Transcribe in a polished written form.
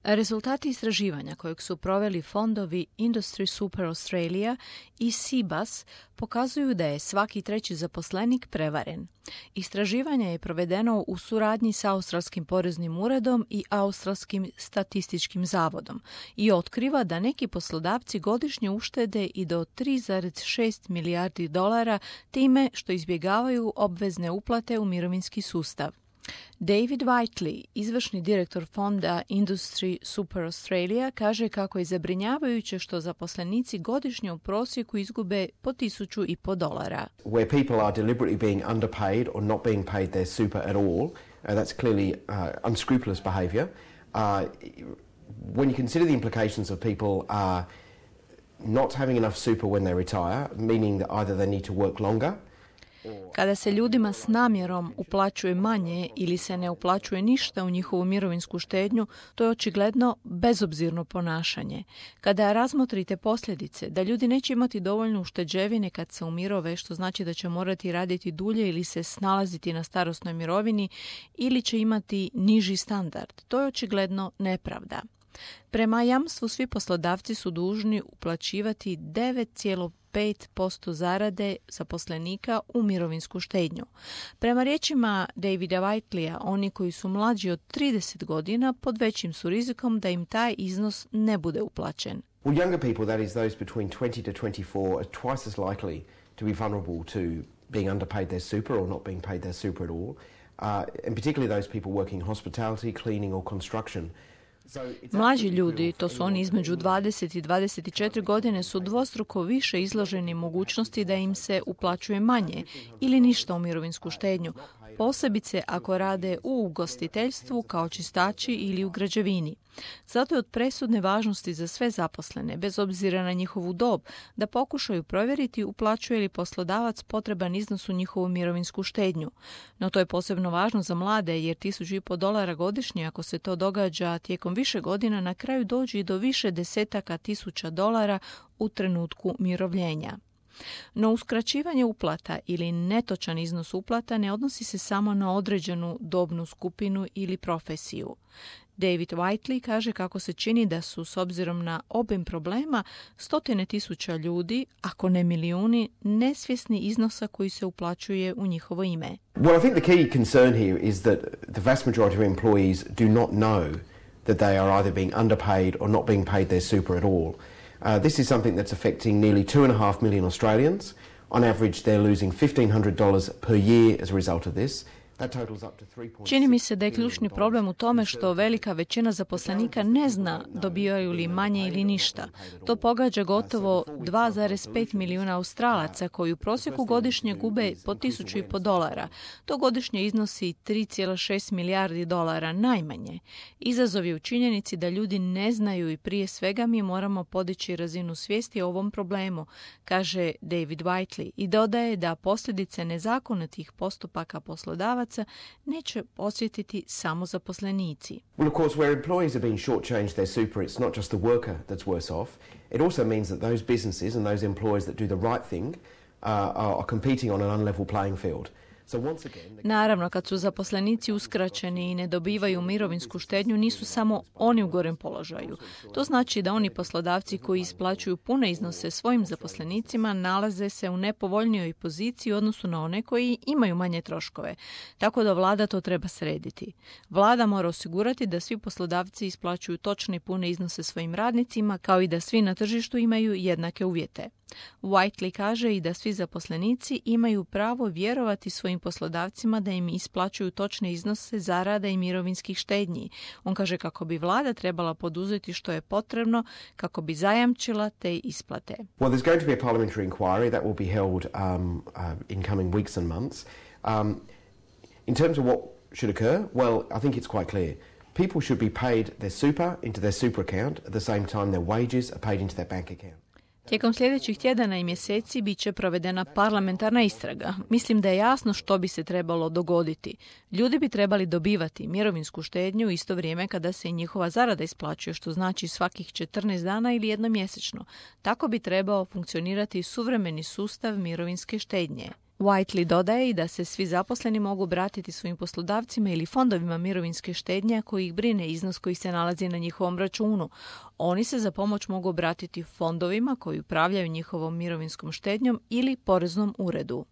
Rezultati istraživanja kojeg su proveli fondovi Industry Super Australia i CBAS pokazuju da je svaki treći zaposlenik prevaren. Istraživanje je provedeno u suradnji sa Australskim poreznim uredom i Australskim statističkim zavodom i otkriva da neki poslodavci godišnje uštede i do 3,6 milijardi dolara time što izbjegavaju obvezne uplate u mirovinski sustav. David Whiteley, izvršni direktor fonda Industry Super Australia, kaže kako je zabrinjavajuće što zaposlenici godišnje u prosjeku izgube po $1,500. Where people are deliberately being underpaid or not being paid their super at all, that's clearly unscrupulous behaviour. When you consider the implications of people not having enough super when they retire, meaning that either they need to work longer. Kada se ljudima s namjerom uplaćuje manje ili se ne uplaćuje ništa u njihovu mirovinsku štednju, to je očigledno bezobzirno ponašanje. Kada razmotrite posljedice da ljudi neće imati dovoljno ušteđevine kad se umirove, što znači da će morati raditi dulje ili se snalaziti na starosnoj mirovini ili će imati niži standard, to je očigledno nepravda. Prema jamstvu svi poslodavci su dužni uplaćivati 9,5% zarade zaposlenika u mirovinsku štednju. Prema riječima Davida Whiteleya, oni koji su mlađi od 30 godina pod većim su rizikom da im taj iznos ne bude uplaćen. Well, younger people, that is those between 20 to 24, are twice as likely to be vulnerable to being underpaid their super or not being paid their super at all. And particularly those people working hospitality, cleaning or construction. Mlađi ljudi, to su oni između 20 i 24 godine, su dvostruko više izloženi mogućnosti da im se uplaćuje manje ili ništa u mirovinsku štednju, posebice ako rade u ugostiteljstvu kao čistači ili u građevini. Zato je od presudne važnosti za sve zaposlene, bez obzira na njihovu dob, da pokušaju provjeriti uplaćuje li poslodavac potreban iznos u njihovu mirovinsku štednju. No to je posebno važno za mlade, jer $1,500 godišnje, ako se to događa tijekom više godina, na kraju dođe i do više desetaka tisuća dolara u trenutku mirovljenja. No uskraćivanje uplata ili netočan iznos uplata ne odnosi se samo na određenu dobnu skupinu ili profesiju. David Whiteley kaže kako se čini da su, s obzirom na obim problema, stotine tisuća ljudi, ako ne milijuni, nesvjesni iznosa koji se uplaćuje u njihovo ime. Well, I think the key concern here is that the vast majority of employees do not know that they are either being underpaid or not being paid their super at all. This is something that's affecting nearly 2.5 million Australians. On average, they're losing $1,500 per year as a result of this. Čini mi se da je ključni problem u tome što velika većina zaposlenika ne zna dobivaju li manje ili ništa. To pogađa gotovo 2,5 milijuna Australaca koji u prosjeku godišnje gube po $1,500. To godišnje iznosi 3,6 milijardi dolara najmanje. Izazov je u činjenici da ljudi ne znaju i prije svega mi moramo podići razinu svijesti o ovom problemu, kaže David Whiteley, i dodaje da posljedice nezakonitih postupaka poslodavaca neće osjetiti samo zaposlenici. Well, of course, where employees are being shortchanged their super, it's not just the worker that's worse off. It also means that those businesses and those employers that do the right thing are competing on an unlevel playing field. Naravno, kad su zaposlenici uskraćeni i ne dobivaju mirovinsku štednju, nisu samo oni u gorem položaju. To znači da oni poslodavci koji isplaćuju pune iznose svojim zaposlenicima nalaze se u nepovoljnijoj poziciji u odnosu na one koji imaju manje troškove. Tako da vlada to treba srediti. Vlada mora osigurati da svi poslodavci isplaćuju točne i pune iznose svojim radnicima, kao i da svi na tržištu imaju jednake uvjete. Whiteley kaže i da svi zaposlenici imaju pravo vjerovati svojim poslodavcima da im isplaćuju točne iznose zarada i mirovinskih štednji. On kaže kako bi vlada trebala poduzeti što je potrebno kako bi zajamčila te isplate. Well, there's going to be a parliamentary inquiry that will be held in coming weeks and months. In terms of what should occur, well, I think it's quite clear. People should be paid their super into their super account at the same time their wages are paid into their bank account. Tijekom sljedećih tjedana i mjeseci bit će provedena parlamentarna istraga. Mislim da je jasno što bi se trebalo dogoditi. Ljudi bi trebali dobivati mirovinsku štednju u isto vrijeme kada se i njihova zarada isplaćuje, što znači svakih 14 dana ili jednom mjesečno. Tako bi trebao funkcionirati suvremeni sustav mirovinske štednje. Whiteley dodaje i da se svi zaposleni mogu obratiti svojim poslodavcima ili fondovima mirovinske štednje koji ih brine iznos koji se nalazi na njihovom računu. Oni se za pomoć mogu obratiti fondovima koji upravljaju njihovom mirovinskom štednjom ili poreznom uredu.